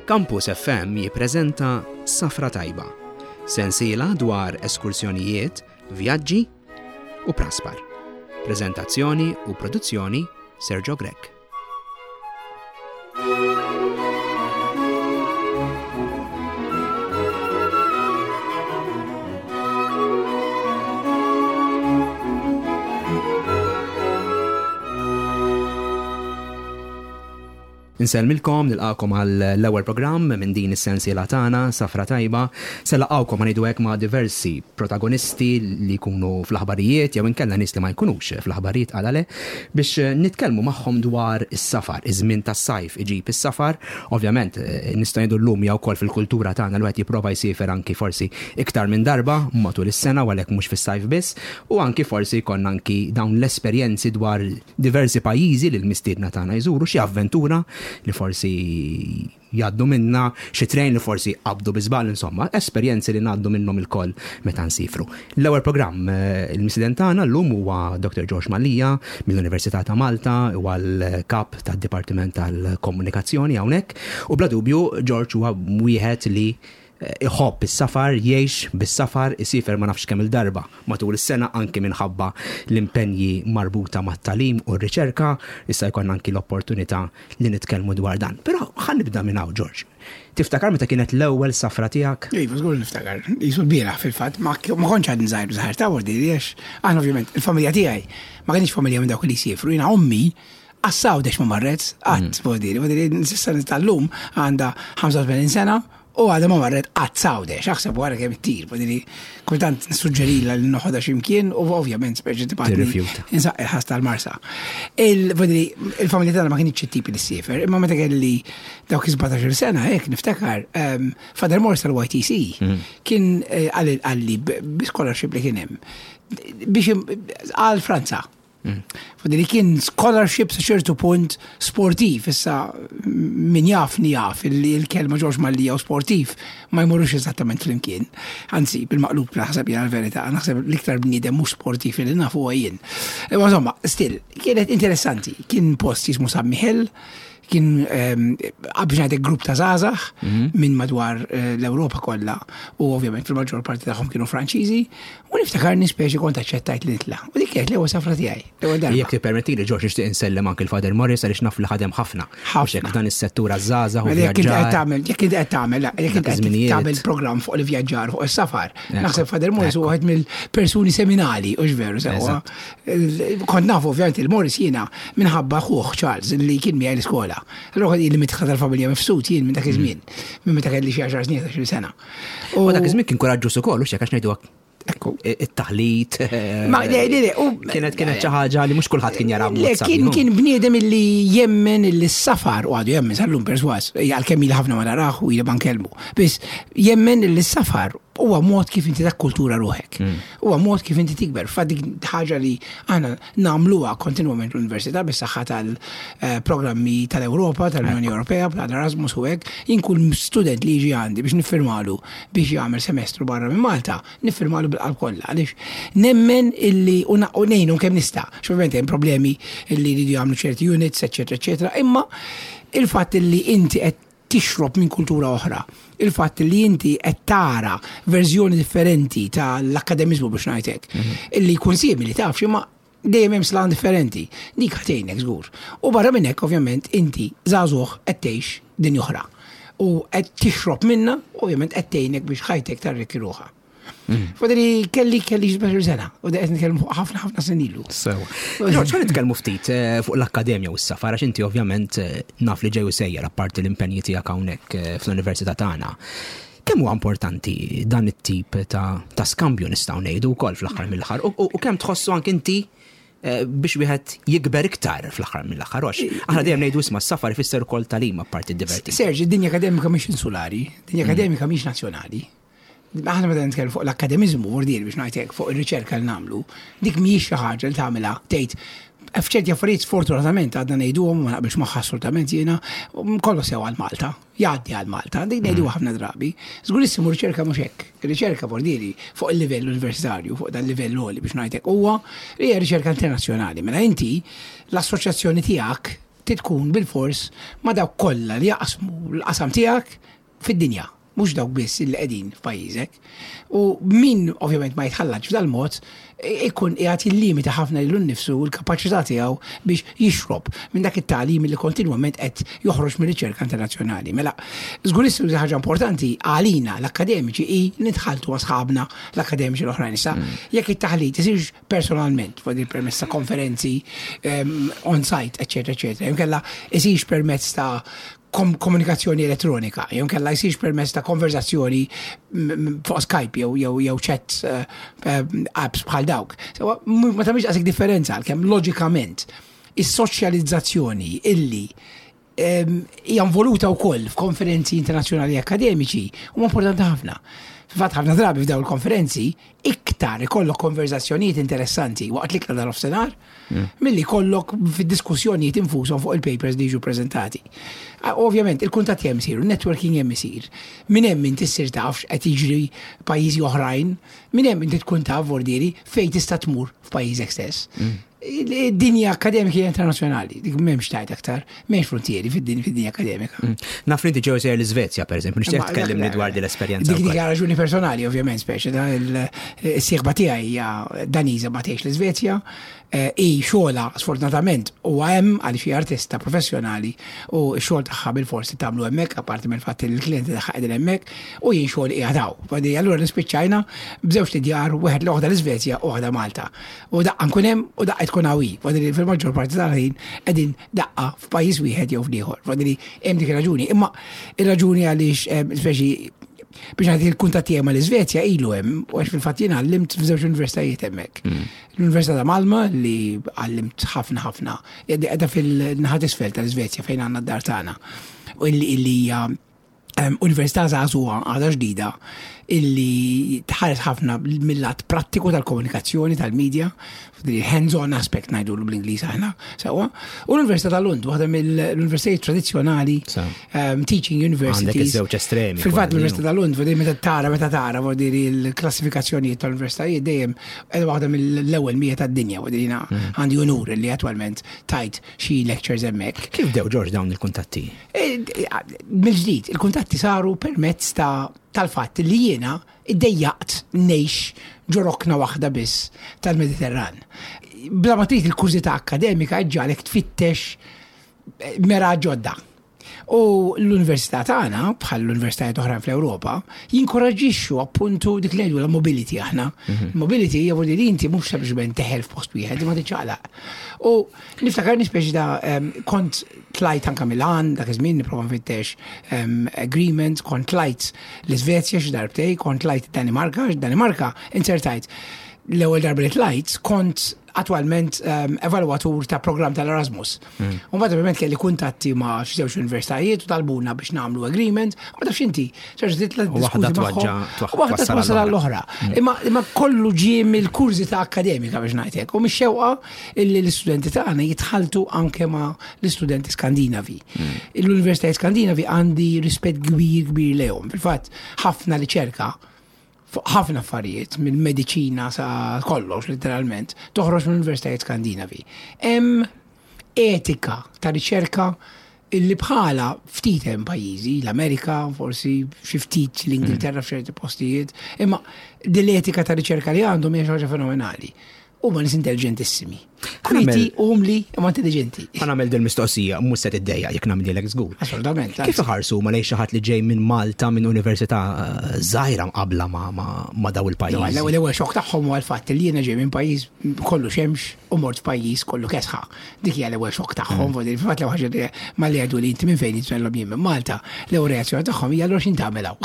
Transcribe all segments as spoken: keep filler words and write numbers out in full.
Campus F M jippreżenta Safra Tajba, sensiela dwar eskursjonijiet, vjaġġi u praspar. Prezentazzjoni u produzzjoni, Sergio Grech. Insellmilkom, nilqakom għal l-ewwel programm minn din is-sensiela tagħna, Safra Tajba. Se nlaqqgħukom, ħa ngħidu hekk, ma' diversi protagonisti li jkunu fl-aħbarijiet jew inkella nies li ma jkunux fl-aħbarijiet, għala le, biex nitkellmu magħhom dwar is-safar, iż-żmien tas-sajf iġib is-safar. Ovvjament eh, nista' ngħidu llum jew ukoll fil-kultura tagħna l wieħed jipprova jsiefer anki forsi iktar minn darba matul is-sena u għalhekk mhux fis-sajf biss, u anki forsi jkollna anki dawn l-esperjenzi dwar diversi pajjiżi li l-mistiedna tagħna jżuru, xi avventura li forsi jgħaddu minna, xi train li forsi qabdu bi żball, insomma, esperjenzi li ngħaddu minnhom ilkoll meta nsifru. L-ewwel programm, eh, il-mistieden tagħna llum huwa Doctor George Mallia mill-Università ta' Malta, huwa l-kap tad-Dipartiment tal-Komunikazzjoni hawnhekk, u bla dubju George huwa wieħed li eh, iħobb is-safar, jgħix bis-safar, isiefer ma nafx kemm il-darba matul is-sena anki minħabba l-impenji marbuta mat-tagħlim u r-riċerka, issa jkollna anki l-opportunità li nitkellmu dwar dan. Però ħa nibda minn hawn, George. Tiftakar meta kienet l-ewwel safra tiegħek? Iva, żgur niftakar. Jisu l-bieraħ fil-fatt, ma ma kontx għadni żgħir żgħir ta' vordi, għax aħna ovvjament il-familja tiegħi ma kienx familja minn dawk li jsifru. Jiena ommi lanqas Għawdex ma marret, qatt, vordi, vordi, s'issa tal-lum għandha ħamsa u tmenin sena u għadha ma marret qatt Għawdex, aħseb wara kemm ittir, vordi, kultant nissuġġerila li noħodha x'imkien u ovvjament speċi tibgħatni Tirrifjuta. Insaqqi il-ħas tal-Marsa. Il-vordi, il-familja tagħna ma kienx it-tipi li ssiefer, imma meta kelli dawk is-sbatax-il sena, hekk niftakar, um, Father Morris tal-Y T C kien eh, għalli għalli b- scholarship li kien hemm biex im- għal Franza. Fadi li kien scholarship sa ċertu punt sportiv, issa min jafni jaf li l-kelma George Mallia u sportiv ma jmurux eżattament flimkien. Anzi, bil-maqlub naħseb jena l-verità, naħseb l-iktar bniedem mhux sportiv li nafu huwa jien. Imma insomma, still, kienet interessanti. Kien post jismu San Michel, kien biex ngħidlek grupp ta' żgħażagħ minn madwar eh, l-Ewropa kollha u ovvjament fil-maġġor parti tagħhom kienu Franċiżi u niftakarni speċi kont aċċettajt li nitla'. U dik kienet l-ewwel safra tiegħi, l-ewwel darba. Jekk tippermettili, George, nixtieq insellem anki l-Father Morris għaliex naf li ħadem ħafna. Ħafna. Mhux hekk, f'dan is-settur għaż-żgħażagħ u Mela, jekk inti qed vjaġġar. tagħmel, jekk inti qed tagħmel, jekk inti Dak qed iż-żminijiet. tagħmel programm fuq il-vjaġġar, fuq is-safar. Ekku, Naħseb Father Morris ekku. huwa wieħed mill-persuni seminali, u veru sewwa. Kont nafu ovvjament il-Morris jiena minħabba ħuh Charles li kien miegħi l-iskola. Allura kont ili midħla tal-familja Mifsud jien minn dak iż-żmien, minn meta kelli xi għaxar snin, għaxar sena. U dak iż-żmien kien kuraġġuż ukoll, u x'hekk, għax ngħidu Ekku. it-taħlit. Ma le, le, le, u- Kienet kienet xi ħaġa li mhux kulħadd kien jara Le, b'mod kien sabiħ. kien bniedem illi jemmen illi s-safar, u għadu jemmen sal-lum perswas, għalkemm ili ħafna ma narah u ili ma nkellmu. Biss jemmen illi s-safar huwa mod kif inti takkultura ruħek. Huwa mod kif inti tikber. Fa dik ħaġa li aħna nagħmluha kontinwament l-università bis-saħħa tal-programmi tal-Ewropa, tal-Unjoni Ewropea, tal-Erasmus u hekk. Jien kull student li jiġi għandi biex niffirmalu biex jagħmel semestru barra minn Malta, niffirmalu bil-qalb kollha għaliex nemmen illi u na- u ngħinu kemm nista'. Ovvjament hemm problemi illi jridu jagħmlu ċerti units, eċetera, eċetera, imma il-fatt illi inti qed tixrob minn kultura oħra, il-fatt li inti qed tara verżjoni differenti tal-akkademizmu, biex ngħidlek, illi jkun simili taf imma dejjem hemm slant differenti. Dik ħa tgħinek żgur. U barra minn hekk ovvjament inti żagħżugħ qed tgħix din oħra. U qed tixrob minna, ovvjament qed tgħinek biex ħajtek tarrikki ruħha. Fadri kelli kelli sbatax-il sena u da qed nitkellmu fuq ħafna ħafna snin ilu. Sewa. George, ħa nitkellmu ftit eh, fuq l-akkademja u s-safar, għax inti ovvjament eh, naf li ġej u sejjer apparti l-impenji tiegħek hawnhekk eh, fl-università tagħna. Kemm huwa importanti dan it-tip ta', ta' skambju, nistgħu ngħidu wkoll fl-aħħar mill-aħħar, u, u, u kemm tħossu anke inti eh, biex wieħed jikber iktar fl-aħħar mill-aħħar, għax aħna dejjem ngħidu, isma', s-safar ifisser ukoll tagħlim apparti d-divertiment. Serġi, id-dinja akademika mhix insulari, dinja akademika mhix nazzjonali. Aħna meta nitkellmu fuq l-akkademizmu, vordir biex ngħidlek fuq ir-riċerka li nagħmlu, dik mhijiex xi ħaġa li tagħmilha tgħid f'ċerti affarijiet sfortunatament għadna ngħiduhom, ma naqbilx magħha assolutament jiena, kollu sew għal Malta, jgħaddi għal Malta, dik ngħidu ħafna drabi. Żgurissimu riċerka mhux hekk. Ir-riċerka vordiri fuq il-livell universitarju, fuq dan il-livell għoli biex ngħidlek huwa li hija riċerka internazzjonali. Mela inti l-assoċjazzjoni tiegħek Tkun bil-fors ma' dawk kollha li jaqsmu l-qasam tiegħek fid-dinja, mhux dawk biss li qegħdin f'pajjiżek. U min ovvjament ma jitħallatx f'dal-mod, ikun qiegħed jillimita ħafna lilu nnifsu u l-kapaċità tiegħu biex jixrob minn dak it-tagħlim li kontinwament qed joħroġ mir-riċerka internazzjonali. Mela, żgurissmu li ħaġa importanti għalina l-akkademiċi hi li nitħalltu ma' sħabna l-akkademiċi l-oħrajn. Issa, jekk it-taħlit isirx personalment, fuq il permezz ta' konferenzi um, on-site, eċetera, eċetera, jew inkella isirx permezz ta' kom komunikazzjoni elettronika, jew inkella jsirx permezz ta' konverzazzjoni fuq Skype jew jew jew chat uh, apps bħal dawk. So, ma tagħmilx daqshekk differenza, għalkemm loġikament is-soċjalizzazzjoni illi hija involuta wkoll f'konferenzi internazzjonali akademiċi huma importanti ħafna. Fil-fatt, ħafna drabi f'dawn il-konferenzi iktar ikollok konverzazzjonijiet interessanti waqt l-ikla tal-nofsinhar milli jkollok fid-diskussjonijiet infushom fuq il-papers li jiġu preżentati. Ovvjament, il-kuntatti hemm isiru, networking hemm isir. Minn hemm inti ssir taf x'qed jiġri pajjiżi oħrajn, minn hemm inti tkun taf vordieri fejn tista' tmur f'pajjiżek stess. Id-dinja akademika hija internazzjonali, dik m'hemmx tgħid aktar, m'hemmx frontieri fid-dinja akademika. Naf li inti ġew sejjer l-Iżvezja, pereżempju, nixtieq tkellimni dwar din l-esperjenza. Dik dik raġuni personali, ovvjament, speċi da il-sieħba tiegħi hija Daniża ma tgħix l-Iżvezja, i xogħla sfortunatament huwa hemm għaliex hija artista professjonali u x-xogħol tagħha bil-forsi tagħmlu hemmhekk, apparti mill-fatt li l-klijenti tagħha qegħdin hemmhekk u jien xogħol qiegħed hawn. Fadi allura nispiċċajna b'żewġ djar, wieħed l-oħda l-Iżvezja u waħda Malta. U daqqa nkun hemm u daqqa tkun hawn. Fadi fil-maġġor parti tal-ħin qegħdin daqqa f'pajjiż wieħed jew f'ieħor. Fadi hemm dik ir-raġuni. Imma ir-raġuni għaliex, speċi biex għandi il-kuntatt tiegħi mal-Iżvezja ilu hemm, u għax fil-fatt jien għallimt f'żewġ universitajiet hemmhekk. L-Università ta' Malmö, li għallimt ħafna ħafna, qiegħda fil-naħa t'isfel tal-Iżvezja fejn għandna d-dar tagħna. U illi hija università żagħżugħa, għadha ġdida, illi tħares ħafna mill-lat prattiku tal-komunikazzjoni tal-medja, hands-on aspect ngħidu bl-Ingliż aħna, sewwa. U l-Università ta' Lund, waħda mill-universitajiet tradizzjonali, teaching universities. Għandek iż-żewġ estremi. Fil-fatt l-Università ta' Lund, meta tara meta tara vuol il-klassifikazzjonijiet tal-universitajiet, dejjem waħda mill-ewwel mija tad-dinja, vuol jiena għandi unur li attwalment tajt xi lectures hemmhekk. Kif bdew, George, dawn il-kuntatti? Mill-ġdid, il-kuntatti saru permezz ta' tal-fatt li jiena iddejjaqt ngħix ġo rokna waħda biss tal-Mediterran. Bla ma trid, il-kurżità akademika ġġagħlek tfittex mera ġodda. U l-università tagħna, bħal l-universitajiet oħra fl-Ewropa, jinkoraġġixxu appuntu dik li ngħidu la mobility aħna. Mobility hija vuol li inti mhux sempliċement teħel f'post wieħed, ma tiċċaqlaq. U niftakar nispeċi da kont tlajt anka Milan, dak iż-żmien nipprova nfittex agreement, kont tlajt l-Iżvezja xi darbtej, kont tlajt Danimarka, Danimarka insertajt l-ewwel darba li tlajt kont attwalment um, evalwatur ta' program tal-Erasmus. Mm. U mbagħad ovvjament kelli kuntatti ma' xi żewġ universitajiet u talbuna biex nagħmlu agreement, u ma tafx inti, terġa' titla' waħda diskuti magħhom, u waħda twassal għall-oħra. Imma imma kollu ġie mill-kurżità akademika, biex ngħidlek, u mix-xewqa illi l-istudenti tagħna jitħaltu anke ma' l-istudenti Skandinavi. L-Universitajiet Skandinavi għandi rispett kbir kbir lejhom. Fil-fatt ħafna riċerka fuq ħafna affarijiet, minn mediċina sa kollox literalment, toħroġ mill universitajiet Skandinavi. Hemm etika ta' riċerka illi bħala ftit hemm pajjiżi, l-Amerika, forsi xi ftit l-Ingilterra f'ċerti postijiet, imma din l-etika ta' riċerka li għandhom hija xi ħaġa fenomenali. Huma nies intelligentissimi. Kwieti, umli, imma intelligenti. Ħa nagħmel din mistoqsija, mhux se tiddejjaq jekk nagħmlilek żgur. Assolutament. Kif iħarsu ma lejn xi ħadd li ġej minn Malta, minn università eh, żgħira mqabla ma, ma, ma daw il-pajjiż? L-ewwel l-ewwel xokk tagħhom huwa l-fatt li jiena ġej minn pajjiż kollu xemx u mort f'pajjiż kollu kesħa. Dik hija l-ewwel xokk tagħhom, mm. fil-fatt l-ewwel ħaġa li ma li għadu li inti minn fejn jitwellhom jien minn Malta, l-ewwel reazzjoni tagħhom hija: "Allura x'int tagħmel hawn?"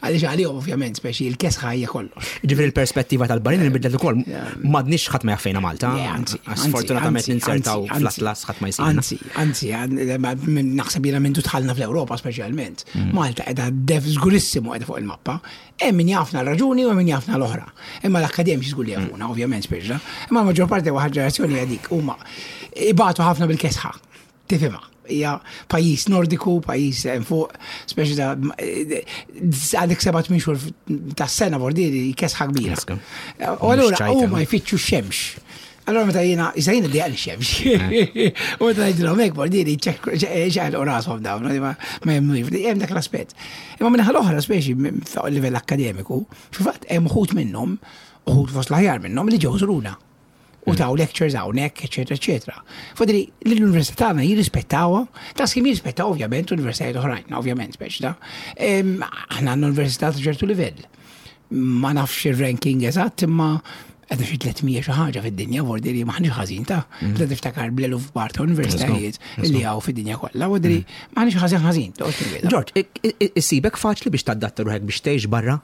Għaliex għalihom ovvjament speċi il-kesħa hija kollox. Ġifieri l-perspettiva tal-barranin inbidlet ukoll. M'għadniex ħadd ma jaf fejn Malta. Le, anzi, Sfortunatament anzi, ninsertaw anzi, fl-atlas ħadd ma jsibna. Anzi, anzi, għan- naħseb jiena minn dħalna fl-Ewropa speċjalment. Malta qiegħda def żgurissimu qiegħda fuq il-mappa. Hemm min jafna raġuni u hemm min jafna l-oħra. Imma l-akkademiċi żgur li jafuna, ovvjament speċa. Imma l-maġġor parti waħda ġenerazzjoni hija dik, huma ibatu ħafna bil-kesħa. Tifhimha. Hija pajjiż nordiku, pajjiż hemm fuq, speċi ta' għandek seba' tmien xhur ta' sena vordieri kesħa kbira. Kesħa. U allura Mhux ċajta. Huma jfittxu x-xemx. Allora meta jiena, issa jiena dejjaq xemx. U meta ngħidilhom hekk bordiri ċeħlu rashom dawn, ma ma jemmnux, hemm dak l-aspett. Imma minnaħa l-oħra speċi fuq il-livell akkademiku, fil-fatt hemm uħud minnhom, uħud fost l-aħjar minnhom li ġew żuruna u taw lectures hawnhekk, eċetera, eċetera. Fodri, l-università tagħna jirrispettawha, ta' skim jirrispettaw ovvjament universitajiet oħrajn, ovvjament speċi ta' aħna għandna università ta' ċertu livell. Ma nafx ir-ranking eżatt, imma għedna xi tliet mija xi ħaġa fid-dinja, vordi li m'aħniex ħażin ta' mm. tiftakar bl-eluf kbar ta' universitajiet li hawn fid-dinja kollha, vordi li m'aħniex ħażin ħażin. George, issibek faċli biex tadatta ruħek biex tgħix barra?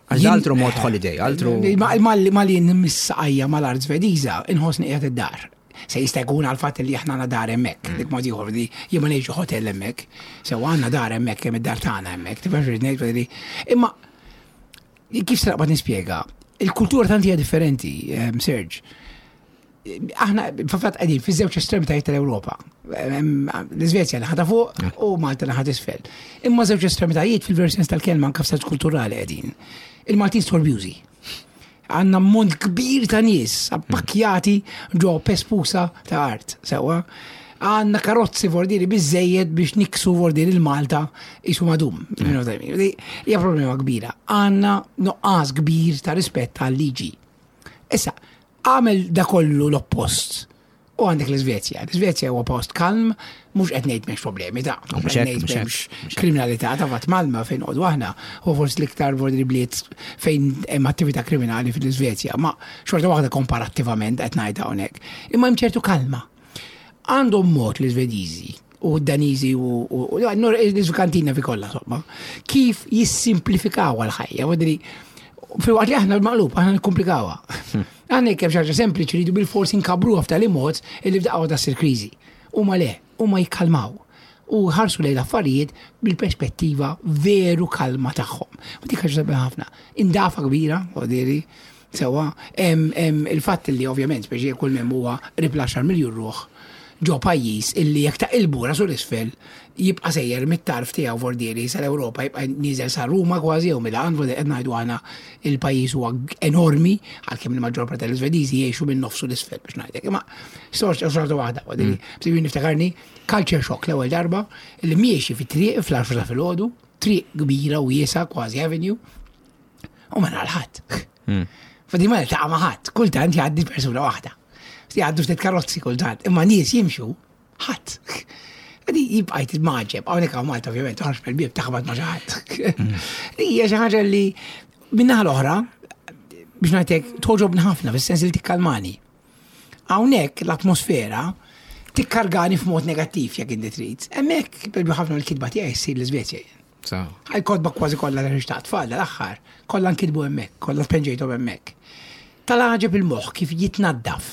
Għax altru mod holiday, altru. Ma li nmissa mal-art Svediża, inħossni qiegħed id-dar. Se jista' jkun għal fatt li aħna għandna dar hemmhekk, dik mod ieħor li jien ma ngħixu hotel hemmhekk, sew għandna dar hemmhekk hemm id-dar tagħna hemmhekk, tifhem x'irrid ngħid? Imma kif se naqbad nispjega, il-kultura tant hija differenti, Serge. Aħna fil-fatt qegħdin fiż-żewġ estremitajiet tal-Ewropa. L-Iżvezja naħa ta' fuq u Malta naħa t'isfel. Imma żewġ estremitajiet fil-ver sens tal-kelma, anke f'sens kulturali qegħdin. Il-Maltin storbjużi. Għandna mont kbir ta' nies appakjati ġo pespusa ta' art, sewa. Għandna karozzi vordiri biżejjed biex niksu vordiri il-Malta isu madum. Hija problema kbira. Għandna nuqqas kbir ta' rispett tal-liġi. Issa, għamel da kollu l-oppost. U għandek l-Svezja. L-Svezja huwa post kalm, mhux qed ngħid m'hemmx problemi ta' mhux qed ngħid m'hemmx kriminalità ta' fatt Malmö fejn noqogħdu aħna u forsi l-iktar vordri bliet fejn hemm attività kriminali fil-Svezja, ma xorta waħda komparattivament qed ngħid hawnhekk. Imma hemm ċertu kalma. Għandhom mod l-Svediżi u d-Daniżi u l-Iżvikantina fi kollha insomma, kif jissimplifikaw għal-ħajja. Vodri, fil-waqt li aħna l-maqlub, aħna nikkomplikawha. Aħna jekk hemm xi ħaġa sempliċi rridu bil-forsi nkabruha f'tali mod illi f'daqqa waħda ssir kriżi. Huma le, huma jikkalmaw u ħarsu lejn l-affarijiet bil-perspettiva veru kalma tagħhom. U dik ħaġa sabiħa ħafna. Indafa kbira, vodiri, sewa, hemm il-fatt li ovvjament speċi kull mem huwa qrib l-għaxar miljun ruħ ġo pajjiż illi jekk taqilbu rasu l-isfel jibqa' sejjer mit-tarf tiegħu vordieri sal-Ewropa, jibqa' nieżel sa Ruma kważi jew Milan, vordieri qed ngħidu aħna il-pajjiż huwa enormi għalkemm il-maġġor parti tal-Iżvediżi jgħixu minn nofsu l-isfel biex ngħidlek. Imma storja xorta waħda, vordieri. Bsibin niftakarni culture shock l-ewwel darba li miexi fit-triq fl-għaxra ta' filgħodu, triq kbira u wiesgħa kważi avenue, u ma nara ħadd. Fadi ma niltaqa' ma' ħadd, kultant jgħaddi persuna waħda. Jgħaddu ftit karozzi kultant, imma nies jimxu ħadd. Għadi jibqajt maġeb, hawnhekk hawn Malta ovvjament, toħroġ mill-bieb taħbat ma' xi ħadd. Hija xi ħaġa li min-naħa l-oħra biex ngħidlek togħġobni ħafna fis-sens li tikkalmani. Hawnhekk l-atmosfera tikkargani f'mod negattiv jekk inti trid. Hemmhekk per ħafna l-kitba tiegħi ssir l-Iżvezja jien. Għal kotba kważi kollha li ta' tfal l-aħħar, kollha nkitbu hemmhekk, kollha tpenġejthom hemmhekk. Tal-għaġeb il-moħħ kif jitnaddaf.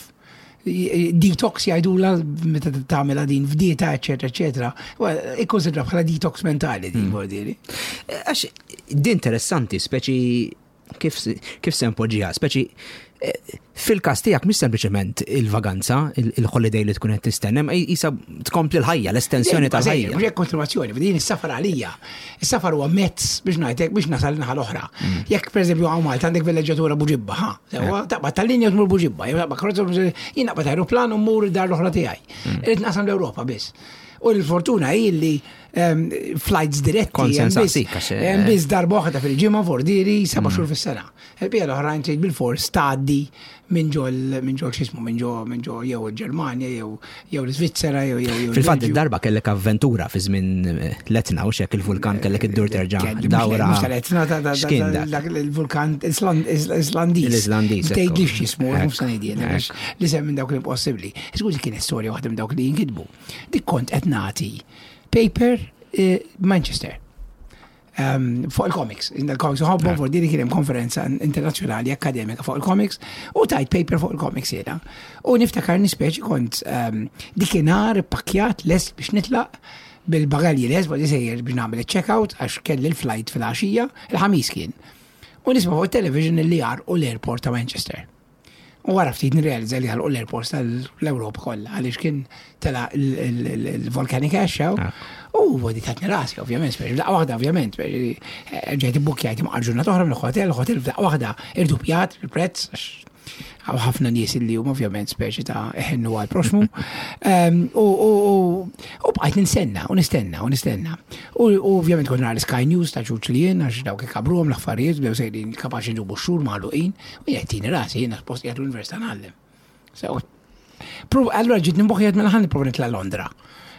Detox jgħidula meta tagħmilha din f'dieta, eċetera, eċetera. Ikkonsidra bħala detox mentali din vuol Għax din interessanti, speċi kif kif se npoġġiha, speċi eh, fil-każ tiegħek mhix sempliċement il-vaganza, il-holiday li tkun qed tistenna, ma jisa tkompli l-ħajja, l-estensjoni tal-ħajja. Mhux hekk kontinuazzjoni, din is-safar għalija. Is-safar huwa mezz biex ngħidlek biex nasal naħa l-oħra. Jekk pereżempju hawn Malta għandek villeġġatura Buġibba, ha, sewa taqbad tal-linja tmur Buġibba, jew taqbad karozza jien naqbad aeroplan u mmur id-dar l-oħra tiegħi. Irrid naqsam l-Ewropa biss. U l-fortuna hi li ehm, flights diretti Kont hemm biss- sensaqsik, għax, eh, hemm biss darba waħda fil-ġimgħa vordiri seba' xhur fis-sena. Il-bija l-oħrajn trid bil-fors tgħaddi minn ġol minn ġol x'ismu minn ġo minn ġo jew il-Ġermanja jew jew l-Iżvizzera jew jew jew Fil-fatt il-Belġju. id-darba kellek avventura fi żmien eh, l-Etna u xek il-vulkan kellek iddur terġa' Kelli, mhux dawra. mhux tal-Etna, ta' ta' X'kien ta' dak? dak il-vulkan Island- Islandiż. L-Islandiż, ekku. Tgħidlix x'ismu, mhux se ngħidilek, Ekku. għax li sem minn dawk l-impossibbli. Skużi, kienet storja waħda minn dawk li jinkitbu. Dik kont qed nagħti paper eh, Manchester. Um, fuq il-comics. Il-comics uħobbhom fuq din kien hemm konferenza internazzjonali akademika fuq il-comics u tajt paper fuq il-comics jiena. U niftakar nispeċi kont um, dikinhar pakkjat lest biex nitlaq bil-bagalji lest, bħal sejjer biex nagħmel il-checkout għax kelli l-flight fil-għaxija, il-Ħamis kien. U nisma' fuq il-television li għarqu l-airport ta' Manchester. U wara ftit nirrealizza li għalqu l-airports tal-Ewropa kollha għaliex kien tela il-volcanic ash hawn. U għodi tatni rasi, ovvjament, speċi, f'daqqa waħda, ovvjament, speċi, eh, ġejt ibbukjajt imqar ġurnata oħra mill-hotel, il-hotel f'daqqa waħda irdupjat il-prezz, għax Hawn ħafna nies li huma ovvjament speċi ta' iħennu għal proxmu. Em, U u- u- u bqajt nistenna, u nistenna, u nistenna. U u ovvjament kont nara l-Sky News ta' ċuċ li jien, għax dawk ikabruhom l-affarijiet, bdew sejrin kapaċi nġubu xhur magħluqin, u jien tini rasi, jiena suppost qiegħed l-università ngħallem. So, Prov, allura ġiet nimboħi mela ħa nipprova nitla' Londra.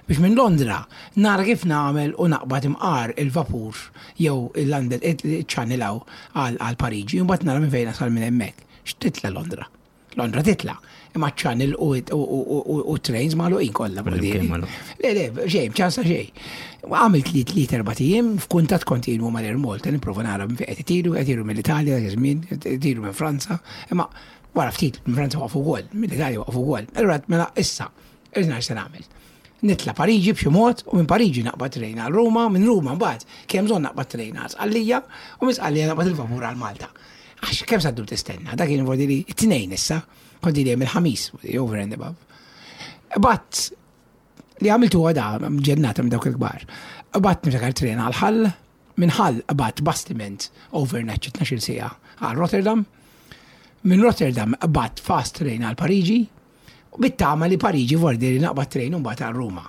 Biex minn Londra nara kif nagħmel u naqbad imqar il-vapur jew il-London il-Channel għal għal Pariġi, u mbagħad nara minn fejn nasal minn hemmhekk. X'titla Londra? Londra titla. Imma Channel u, u, u, u, u trains magħluqin kollha. Kullimkien magħluq. Le, le, xejn, ċansa xejn. Għamilt li tliet erbat ijiem f'kuntatt kontinwu mal-Air Malta, nipprova nara minn fejn qed itiru, qed itiru mill-Italja, dak iż-żmien, qed itiru minn Franza, imma wara ftit minn Franza waqfu wkoll, mill-Italja waqfu wkoll. Allura mela issa, irrid nara x'se nagħmel. Nitla Pariġi b'xi mod u minn Pariġi naqbad trejn għal Ruma, minn Ruma mbagħad kemm bżonn naqbad trejn għal Sqallija u minn Sqallija naqbad il-vapur għal Malta. Għax kemm sa ddum tistenna, dak kien vordi li it-tnejn issa, kont li hemm il-ħamis, over and above. But li għamiltu għada, ġennata minn dawk il-kbar. Qbadt niftakar tren għal Hull, minn Hull qbadt bastiment overnight xi tnax-il siegħa għal Rotterdam, minn Rotterdam qbadt fast train għal Pariġi, u bit-tama li Pariġi vordi li naqbad train u mbagħad għal Ruma.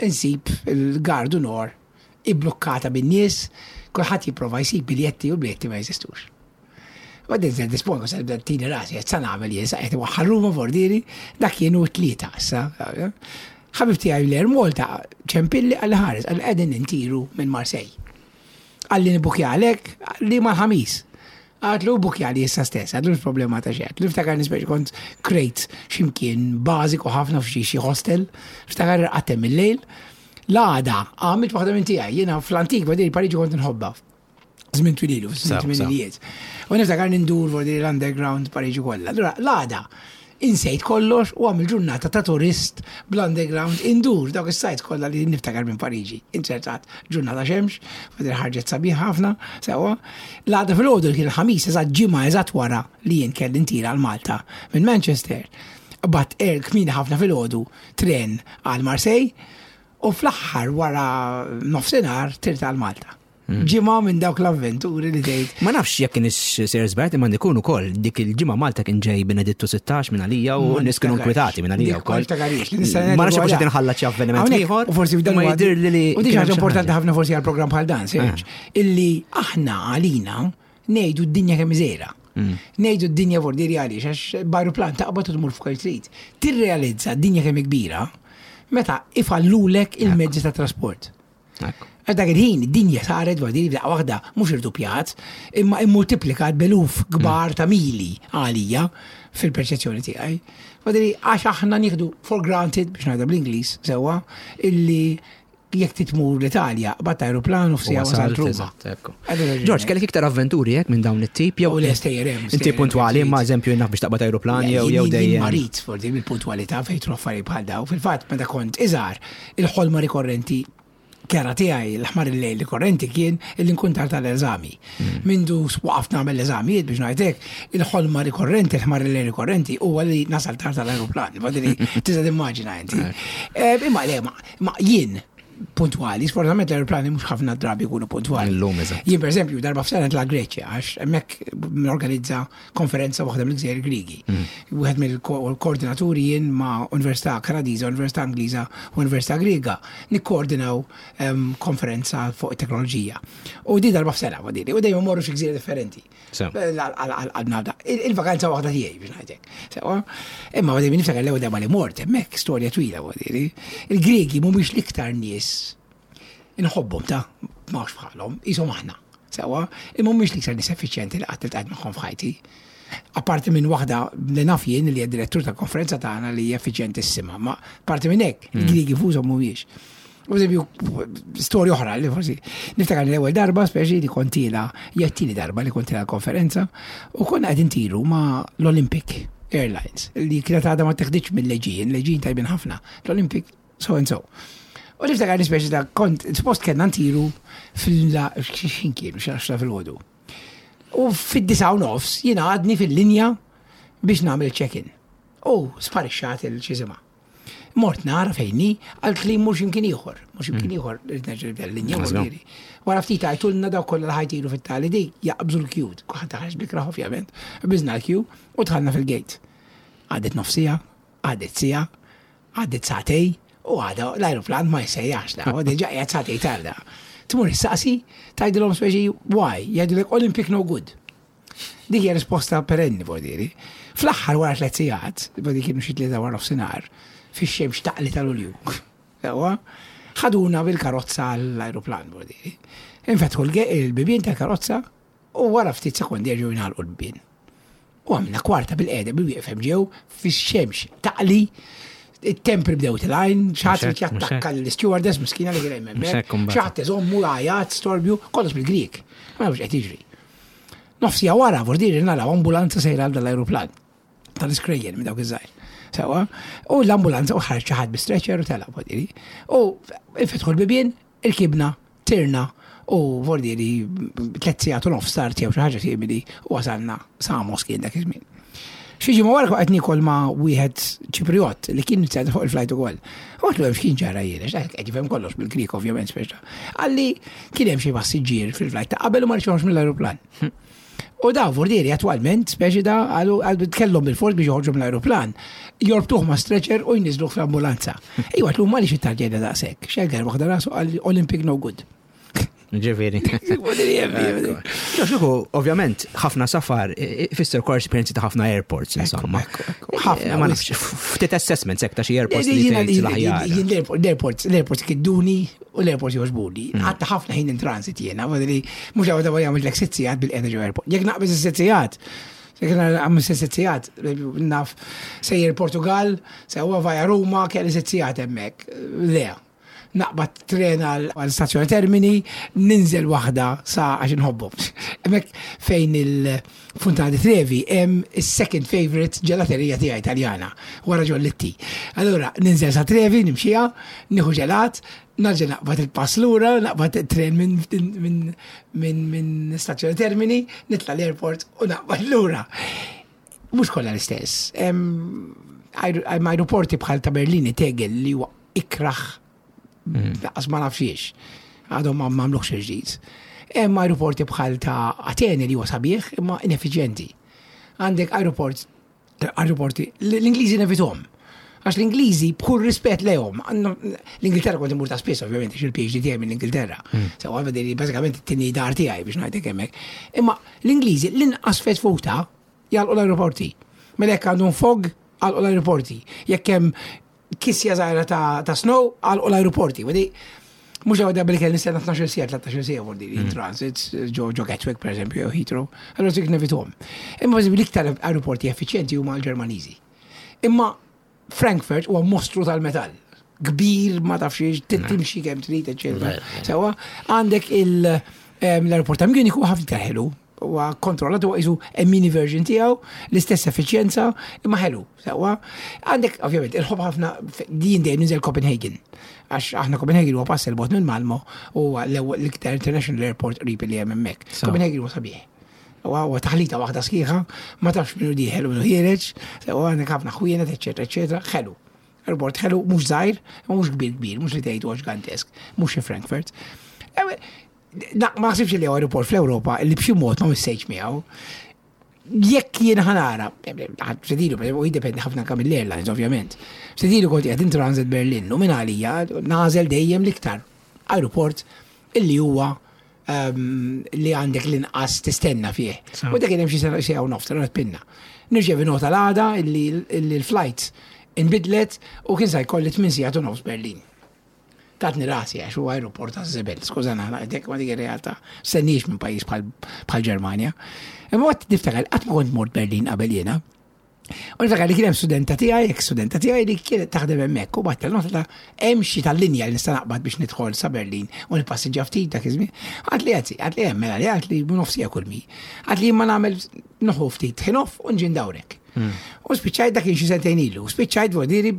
Insib il-Gare du Nord iblukkata bin-nies, kulħadd jipprova jsib biljetti u biljetti ma jeżistux. Għaddin se dispongo se tini rasi, qed sa nagħmel jien, sa qed waħħal Ruma vordiri, dak kienu tlieta issa. Ħabib tiegħi l-Air Malta ċempilli għalli ħares, għalli qegħdin intiru minn Marseille. Għalli nibukja għalek, għalli mal-ħamis. Għedtlu bukja li issa stess, għedtlu problema ta' xejn. Niftakar nispeċ kont krejt ximkien bażiku ħafna f'xi xi hostel, niftakar għatem il-lejl. L-għada, għamilt waħda minn tiegħi, jiena fl-antik badiri Pariġi kont nħobba. Żmien twililu, Sew, fis tminijiet. U niftakar nindur vordi l-underground Pariġi kollha. Allura l-għada, insejt kollox u għamil ġurnata ta' turist bl-underground indur dawk is-sites kollha li niftakar minn Pariġi. Inċertat ġurnata xemx, fadil ħarġet sabiħ ħafna, sewwa. L-għada fil-għodu kien il-ħamis eżatt ġimgħa eżatt wara li jien kelli ntira għal Malta minn Manchester. Qbadt air kmieni ħafna fil-għodu tren għal Marseille u fl-aħħar wara nofsinhar tirt għal Malta. Ġimgħa minn dawk l-avventuri li tgħid Ma nafx jekk kienx Sir Żbert imma dikun ukoll dik il-ġimgħa Malta kien ġej Benedittu sittax minn għalija u Ma nies kienu niftakarx. inkwetati minn għalija Dik ma wkoll. niftakarix, li nista' Ma nafx ngħidu forsi għalha. tinħalla xi avveniment Hawnhekk, ieħor. U forsi f'dan ma huwa- jidhir li li U di kien hemm ħaġa xi importanti ħaġa. ħafna forsi għal programm bħal dan, Serge, illi aħna għalina ngħidu d-dinja kemm żgħira. Ngħidu d-dinja vordiri għaliex għax b'ajruplan taqbad u tmur fuq trid. Tirrealizza d-dinja kemm kbira meta ifallulek il-mezzi ta' trasport. Ekku. Għax dak il-ħin, id-dinja saret vordiri b'daqqa waħda mhux irdupjat, imma immultiplikat b'eluf kbar ta' mili għalija fil-perċezzjoni tiegħi. Vordiri għax aħna nieħdu for granted biex ngħidha bl-Ingliż sewwa illi jekk titmur l-Italja qbadt aeroplan u f'siegħa wasalt Ruma. Eżatt, ekku. Għadu raġuni. George, kellek iktar avventuri jekk minn dawn it-tip jew U le, stejjer hemm, Inti stejjer hemm, puntwali trid. imma eżempju naf biex taqbad aeroplan jew jew Jien- jien dejjem. Marit forsi bil-puntwalità fejn tru affarijiet bħal daw. Fil-fatt meta kont iżgħar il-ħolma rikorrenti kera tiegħi l-ħmar il-lejl rikorrenti kien illi nkun tard tal-eżami. Mindu waqaf nagħmel l-eżamijiet biex ngħidlek, il-ħolma rikorrenti, l-ħmar il-lejl rikorrenti huwa li nasal tard tal-aeroplan. Badili tista' timmaġina inti. Eh, Imma le, ma- ma jien puntwali, sfortunatament l-aeroplani mhux ħafna drabi jkunu puntwali. Illum, eżatt. Jien per eżempju darba f'sena nitla' Greċja għax hemmhekk norganizza konferenza waħda mill-Gżejjer Grigi. Wieħed mill-koordinaturi jien ma' Università Kanadiża, Università Ingliża u Università Griega nikkoordinaw em, konferenza fuq it-teknoloġija. U di darba f'sena wadili, u dejjem morru xi gżira differenti. Sew. Għal-nabda. Il-vakanza waħda tiegħi biex ngħidlek. Sewwa? Imma għadni niftakar l-ewwel darba li mort hemmhekk storja twila wadili. Il-Gregi mhumiex l-iktar nies inħobbhom ta' m'hawnx bħalhom, qishom aħna. Sewwa, imma mhumiex l-iktar nies effiċjenti li qatt iltqajt magħhom f'ħajti. Apparti minn waħda li naf jien li hija direttur ta' konferenza tagħna li hija effiċjentissima, ma parti minn hekk, il-Griegi fużhom mhumiex. U eżempju, storja oħra li forsi niftakar li l-ewwel darba speċi li kont tiela, hija t-tieni darba li kont tiela konferenza u konna qegħdin tiru ma' l-Olympic Airlines li kienet għadha ma teħdiċ mill-Aegean, l-Aegean tajbin ħafna, l-Olympic so and so. U niftakar li speċi ta' kont, suppost kellna ntiru fil- xin kienu, xi fil-ħodu. U fid-disgħa u nofs jiena għadni fil-linja biex nagħmel check-in. U sparixxat il-ċizima. Mort nara fejn hi, għalt li mhux imkien ieħor, mhux imkien ieħor, rrid nerġa' nibda l-linja voldiri. Wara ftit għajtulna daw kollha li ħa jtiru fit-tali di jaqbżu l-queue. Kulħadd ħareġ bl-ikrah ovvjament. Qbiżna l-queue u dħalna fil-gate. Għaddet nofs siegħa, għaddet siegħa, għaddet sagħtejn, u għada l-aeroplan ma jsejjax la, u diġà qiegħed sagħtejn tarda. Tmur issaqsi, tgħidilhom speċi why, jgħidulek "Olympic no good". Dik hija risposta perenni, voldiri. Fl-aħħar wara tliet sigħat, voldiri kienu xi tlieta wara nofsinhar, fix-xemx taqli tal-Ulju. Sewwa, ħaduna bil-karozza l-aeroplan, voldiri. Infetħu l-bibien tal-karozza u wara ftit sekondi jerġgħu jingħalqu l-bibien. U għamilna kwarta bil-qeda bil-wieqfem ġew fix-xemx taqli, it-tempri bdew telgħin, xi ħadd Mhux hekk, jattakka l-stewardess miskina li kien hemm Mhux hekk hemmhekk, imbagħad. xi ħadd iżommu għajat, storbju, kollox bil-Grik. Ma nafx qed jiġri. Nofs siegħa wara, vordiri naraw ambulanza sejra għal dal-aeroplan. Tal-iskrejjen minn dawk iż-żgħir. Sewwa, u l-ambulanza u ħareġ xi ħadd bi stretcher u tela' vordiri. U infetħu l-bibien, irkibna, tirna, u vordiri tliet sigħat u nofs tard jew xi ħaġa simili u wasalna Samos kien dak iż-żmien. Xi ġimgħa wara qed niekol ma' wieħed Ċipriot li kien sed fuq il-flight ukoll. U għedtlu hemm x'kien ġara jien, għax qed jifhem kollox bil-Grik ovvjament speċa. Qalli kien hemm xi passiġġier fil-flight ta' qabel u ma rċevux mill-aeroplan. U da vordiri attualment, speċi da, għalu għalu kellhom bil-fors biex joħorġu mill-aeroplan. Jorbtuh ma' stretcher u jniżluh fl-ambulanza. Ejwa, għedtlu ma li xi tarġeda daqshekk. Xegger waħda rasu għal "Olympic no good". Ġifieri. Vordiri hemm. Ġoxuku, ovvjament, ħafna safar, fisser kor esperienzi ta' ħafna airports, insomma. Ekku, ekku, ħafna, Eh, Ma wisq. nafx, ftit assessments hekk ta' xi airports li tgħid l-aħjar. L-airports, l-airports kidduni u l-airports jogħġbuni. Għatta ħafna ħin in transit jiena, li mhux għawda għamil l sitt sigħat bil-qeda ġo airport. Jekk naqbeż is-sitt sigħat, jekk għamil sitt sigħat, naf sejjer Portugal, sewwa via Ruma, kelli sitt sigħat hemmhekk. Le, naqbad tren għal stazzjoni Termini, ninżel waħda sa għax inħobbhom. Hemmhekk fejn il-Fontana di Trevi hemm is-second favorite ġelaterija tiegħi Italjana wara Giolitti. Allura ninżel sa Trevi, nimxiha, nieħu ġelat, narġa' naqbad il-pass lura, naqbad tren minn min, min, min stazzjoni Termini, nitla l-airport u naqbad lura. Mhux kollha l-istess. Hemm hemm aeroporti bħal ta' Berlini Tegel li huwa ikraħ laqas ma nafxiex. Għadhom ma m'għamluhx il-ġdid. Hemm aeroporti bħal ta' Atene li huwa sabiħ imma ineffiċjenti. Għandek aeroport aeroporti l-Ingliżi nevitahom. Għax l-Ingliżi b'kull rispett lejhom, għandhom- l-Ingilterra kont imur ta' spiss ovvjament għax il-P H D tiegħi mill-Ingilterra. Sewwa għal bażikament it-tieni dar tiegħi biex ngħidlek hemmhekk. Imma l-Ingliżi l-inqas fetfuta jagħlqu l-aeroporti. Mela jekk għandhom fog, għalqu l-aeroporti. Jekk hemm kisja żgħira ta', ta' snow, għalqu l-aeroporti. Wedi, mhux għawda billi kelli nistenna tnax-il siegħa, tlettax-il siegħa vordi, in transit, ġo ġo Gatwick, per eżempju, jew Heathrow. Allora dik nevitahom. Imma per eżempju, l-iktar aeroporti effiċjenti huma l-Ġermaniżi. Imma Frankfurt huwa mostru tal-metall. Kbir, ma tafx timxi kemm trid, eċetera. Sewwa, għandek il- em, l-aeroport ta' Munich huwa ħafna iktar ħelu. Huwa kontrollat, huwa qisu a mini version tiegħu, l-istess effiċjenza, imma ħelu. Sewwa, għandek ovvjament il-ħobb ħafna din dejjem ninżel Copenhagen. Għax aħna Copenhagen huwa pass il-bogħod minn Malmo u l-ewwel l-iktar international airport qrib li hemm hemmhekk. So. Copenhagen huwa sabiħ. Huwa huwa taħlita waħda sħiħa, ma tafx minnu dieħel u minnu ħiereġ, sewwa għandek ħafna ħwienet, eċetera, eċetera, ħelu. Airport ħelu, mhux żgħir, ma mhux kbir kbir, mhux li tgħid huwa ġgantesk, mhux xi Frankfurt. Eh, Na, ma naħsibx li huwa aeroport fl-Ewropa li b'xi mod ma missejx miegħu. Jekk jien ħa nara, f'sedilu, u jiddependi ħafna anke mill-airlines, ovvjament. F'sedilu kont qiegħed in transit Berlin u minn għalija nagħżel dejjem l-iktar aeroport illi huwa um, li għandek l-inqas tistenna fih. Sa. U dak kien hemm xi sena xi hawn nofs, allura pinna. Nirċevi nota l-għada illi illi l-flight inbidlet u kien sa jkolli tmien sigħat u nofs Berlin. Tatni rasi għax huwa aeroport ta' żibel, skużana, dik ma dik ir-realtà. Stenniex minn pajjiż bħal bħal Ġermanja. Imma waqt niftakar qatt ma kont mort Berlin qabel jiena. U niftakar li kien hemm studenta tiegħi, ex studenta tiegħi li kienet taħdem hemmhekk u bat nota ta' hemm xi tal-linja li nista' naqbad biex nidħol sa Berlin u nippassiġġa ftit dak iż-żmien. Għad li għadzi, għad li hemm mela li għad li nofsija kull mi. Għad li ma nagħmel noħu ftit ħin off u nġi ndawrek. U spiċċajt dak kien xi sentejn ilu, u spiċċajt vuol dire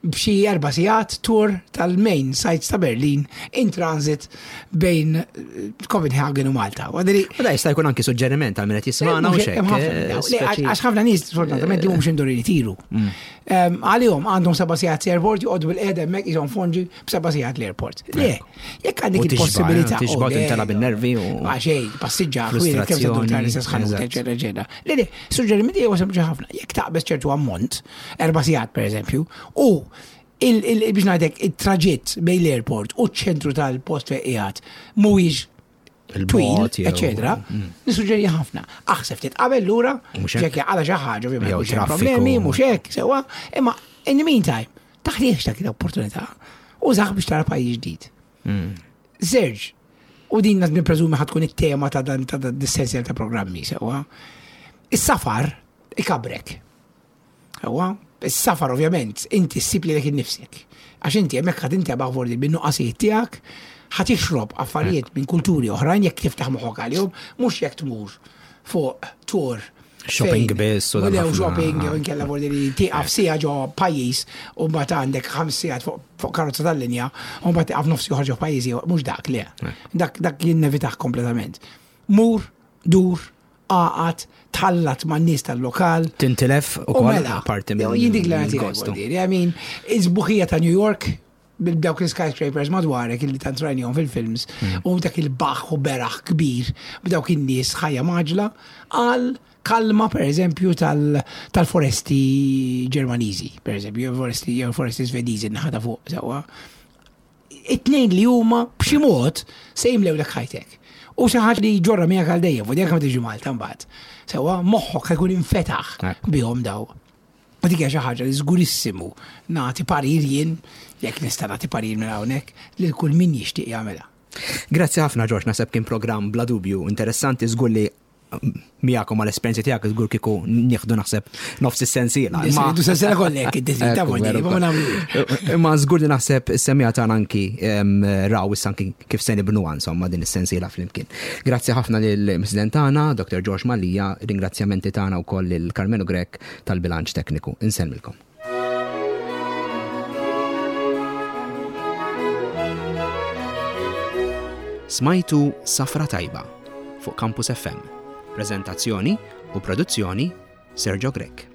B'xi erba' sigħat tour tal-main sites ta' Berlin in transit bejn eh, Copenhagen u Malta. U għadri, U da jista' jkun anki suġġeriment għal min qed jismagħna u Mhux xek. hemm ħafna minn dawn. Le, Għax ħafna nies sfortunatament li mhumiex imdorrijin itiru. Em, Għalihom għandhom seba' sigħat airport joqogħdu bil-qiegħda hemmhekk qishom fonġi b'seba' sigħat l-airport. Le, jekk għandek U tixba', il-possibilità. eh, tixba' oh, le, tintela bin-nervi u- Għaxej, passiġġa, ħwienet kemm se dur Frustrazzjoni, tal-istess ħanut, eżatt. eċetera, eċetera. Le, le, suġġerimenti huwa sempliċi ħafna. Jekk taqbeż ċertu ammont, erba' sigħat per eżempju, u il- il- biex ngħidlek it-traġitt bejn l-airport u ċ-ċentru tal-post fejn qiegħed mhuwiex twil, Il-bot jew- eccetera, nissuġġeri ħafna. Aħseb ftit qabel lura, Mhux hekk. ġekk għala xi ħaġa, ovvjament Jew mhux hemm traffiku. problemi, mhux hekk, sewwa, imma in the meantime, taħliex dak l-opportunità. Użah biex tara pajjiż ġdid. Serge, u din nippreżumi ħa tkun it-tema ta' dan ta' dan dis-sensiela ta' programmi, sewwa. Is-safar ikabrek. Sewwa, is-safar ovvjament inti ssib lilek innifsek. Għax inti hemmhekk ħad inti vordi bin-nuqqasijiet tiegħek, ħa tixrob affarijiet minn kulturi oħrajn jekk tiftaħ moħħok għalihom, mhux jekk tmur fuq tour. Shopping fejn- biss u dan Jew ħafna. shopping, jew inkella vordi li tieqaf siegħa ġo pajjiż u mbagħad għandek ħames sigħat fuq fuq karozza tal-linja u mbagħad tieqaf nofs joħorġ ġo pajjiżi, mhux dak le. Dak dak jien nevitah kompletament. Mur, dur, aqgħad, tħallat man-nies tal-lokal. Tintilef u U kol mela, parti jew minn jien dik l il-gostu. I mean, is-sbuħija ta' New York, bil-dawk il-skyscrapers madwarek illi tant rajnihom fil-films, u dak il-baħ u beraħ kbir, b'dawk in-nies ħajja mgħaġġla, għal kalma per eżempju tal- tal-foresti Ġermaniżi, per eżempju, jew foresti jew foresti Svediżi naħa ta' fuq, sewwa. It-tnejn li huma b'xi mod se jimlewlek ħajtek. U xi ħaġa li ġorra miegħek għal dejjem, u dik ma tiġi Malta mbagħad. Sewwa moħħok ħa jkun infetaħ Ekku. bihom daw. U dik hija xi ħaġa li żgurissimu nagħti parir jien, jekk nista' nagħti parir minn hawnhekk, lil kull min jixtieq jagħmilha. Grazzi ħafna Ġorġ, naħseb kien programm bla dubju interessanti żgur li miegħekom għal esperjenzi tiegħek żgur kieku nieħdu naħseb nofs is-sensiela. Imma du sensiela kollek id-desin ta' Ekku, vondi, veru ma kol. nagħmlu. Imma żgur li naħseb is-semmiegħa tagħna anki em, raw issa anki kif se nibnuha insomma din is-sensiela flimkien. Grazzi ħafna lill-President tagħna, Dr. George Mallia, ringrazzjamenti tagħna wkoll lil Carmelo Grech tal-bilanċ tekniku. Insellmilkom. Smajtu Safra Tajba fuq Campus FM. Prezentazzjoni u produzzjoni Sergio Grech.